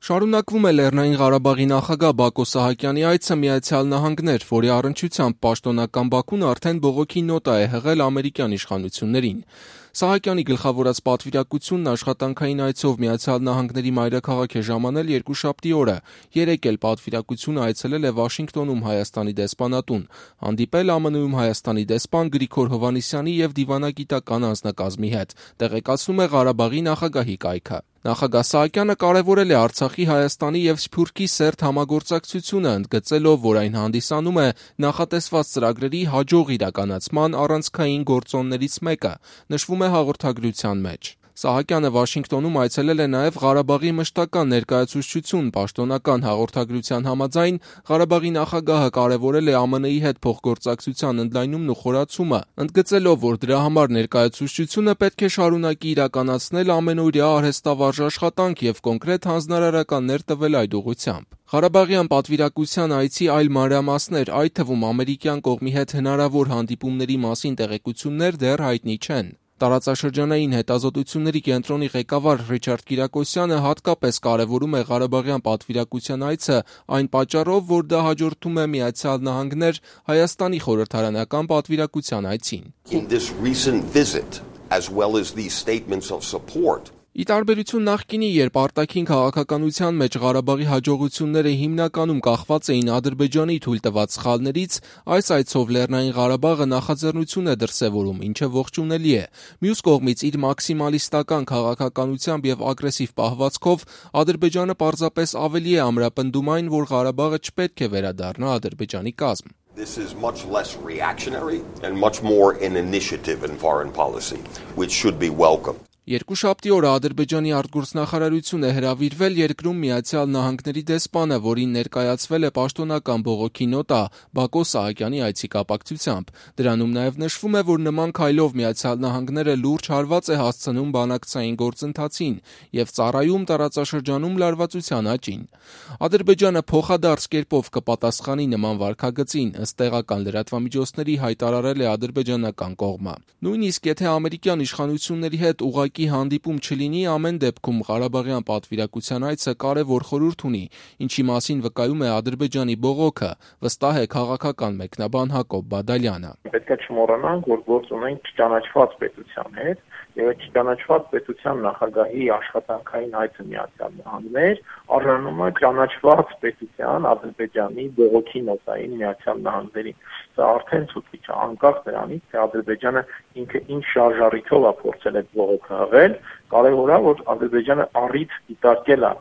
Շարունակվում է Լեռնային Ղարաբաղի նախագահ Բակո Սահակյանի այցը Միացյալ Նահանգներ, որի առնչությամբ պաշտոնական Բաքուն արդեն բողոքի նոտա է հղել ամերիկյան իշխանություններին։ Սահակյանի գլխավորած պատվիրակությունն աշխատանքային այցով Միացյալ Նահանգների մայրաքաղաք է ժամանել երկուշաբթի օրը, երեկ էլ պատվիրակությունը այցելել է Վաշինգտոնում Հայաստանի դեսպանատուն, հանդիպել ԱՄՆ-ում Հայաստանի դեսպան Գրիգոր Հովհաննիսյանի և դիվանագիտական անձնակազմի հետ, տեղեկացնում է Ղարաբաղի նախագահի կայքը։ Նախագահ Սահակյանը կարևորել է Արցախի, Հայաստանի և Սփյուռքի սերտ համագործակցությունը, ընդգծելով, որ այն հանդիսանում է նախատեսված ծրագրերի հաջող իրականացման առանցքային գործոններից մեկը, նշվում է հաղորդագրության մեջ։ Սահակյանը Վաշինգտոնում այցելել է նաև Ղարաբաղի մշտական ներկայացուցչություն, պաշտոնական հաղորդագրության համաձայն Ղարաբաղի նախագահը կարևորել է ԱՄՆ-ի հետ փոխգործակցության ընդլայնումն ու խորացումը, ընդգծելով, որ դրա համար ներկայացուցչությունը պետք է շարունակի իրականացնել ամենօրյա արհեստավարժ աշխատանք և կոնկրետ հանձնարարականներ տվել այդ ուղղությամբ։ Ղարաբաղյան պատվիրակության այցի այլ մանրամասներ, այդ թվում ամերիկյան կողմի հետ հնարավոր հանդիպումների մասին տեղեկություններ դեռ հայտնի չեն։ Տարածաշրջանային հետազոտությունների կենտրոնի ղեկավար Ռիչարդ Կիրակոսյանը հատկապես կարևորում է Ղարաբաղյան պատվիրակության այցը այն պատճառով, որ դա հաջորդում է Միացյալ Նահանգներ Հայաստանի խորհրդարանական պատվիրակության այցին։ Ի տարբերություն նախկինի, երբ արտաքին քաղաքականության մեջ Ղարաբաղի հաջողությունները հիմնականում կախված էին Ադրբեջանի թույլ տված սխալներից, այս այցով Լեռնային Ղարաբաղը նախաձեռնություն է դրսևորում, ինչը ողջունելի է։ Մյուս կողմից, իր մաքսիմալիստական քաղաքականությամբ և ագրեսիվ պահվածքով Ադրբեջանը պարզապես ավելի է ամրապնդում այն, որ Ղարաբաղը չպետք է վերադառնա Ադրբեջանի կազմ։ This is much less reactionary and much more an initiative in foreign policy, which should be welcome. Երկուշաբթի օրը Ադրբեջանի արտգործնախարարություն է հրավիրվել երկրում Միացյալ Նահանգների դեսպանը, որին ներկայացվել է պաշտոնական բողոքի նոտա Բակո Սահակյանի այցի կապակցությամբ։ Դրանում նաև նշվում է, որ նման քայլով Միացյալ Նահանգները լուրջ հարված է հասցնում բանակցային գործընթացին և ծառայում տարածաշրջանում լարվածության աճին։ Ադրբեջանը փոխադարձ կերպով կպատասխանի նման վարքագծին, ըստ տեղական լրատվամիջոցների հայտարարել է ադրբեջանական կողմը։ Նույնիսկ եթե ամերիկյան իշխանությունների հետ ուղղակի հանդիպում չլինի, ամեն դեպքում Ղարաբաղյան պատվիրակության այցը կարևոր խորհուրդ ունի, ինչի մասին վկայում է Ադրբեջանի բողոքը, վստահ է քաղաքական մեկնաբան Հակոբ Բադալյանը։ Պետք է չմոռանանք, որ գործ ունենք չճանաչված պետության հետ, եւ այդ չճանաչված պետության նախագահի աշխատանքային այցը Միացյալ Նահանգներ առնում է ճանաչված պետության Ադրբեջանի բողոքի նոտային Միացյալ Նահանգներին։ Սա արդեն ցույց է, անկախ դրանից, թե Ադրբեջանը ինքը ինչ շարժառիթով է փորձել այդ բողոքը հղել, կարևոր է, որ Ադրբեջանը առիթ դիտարկել է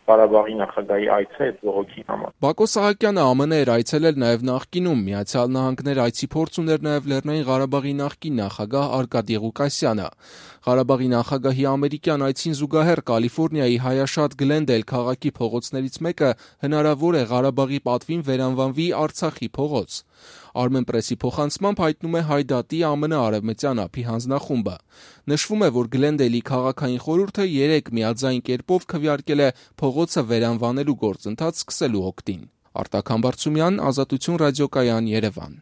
Ղարաբաղի նախագահի այցը այդ բողոքի համար։ Բակո Սահակյանը ԱՄՆ էր այցելել նաև նախկինում, Միացյալ Նահանգներ այցի փորձ ուներ նաև Լեռնային Ղարաբաղի նախկին նախագահ Արկադի Ղուկասյանը։ Ղարաբաղի նախագահի ամերիկյան այցին զուգահեռ Կալիֆոռնիայի հայաշատ Գլենդեյլ քաղաքի փողոցներից մեկը հնարավոր է Ղարաբաղի պատվին վերանվանվի Արցախի փողոց։ Armenpress-ի փոխանցմամբ հայտնում է Հայ դատի ԱՄՆ արևմտյան ափի հանձնախումբը։ Նշվում է, որ Գլենդեյլի քաղաքային խորհուրդը երեկ միաձայն կերպով քվեարկել է փողոցը վերանվանելու գործընթաց սկսելու օգտին։ Արտակ Համբարձումյան, Ազատություն ռադիոկայան, Երևան։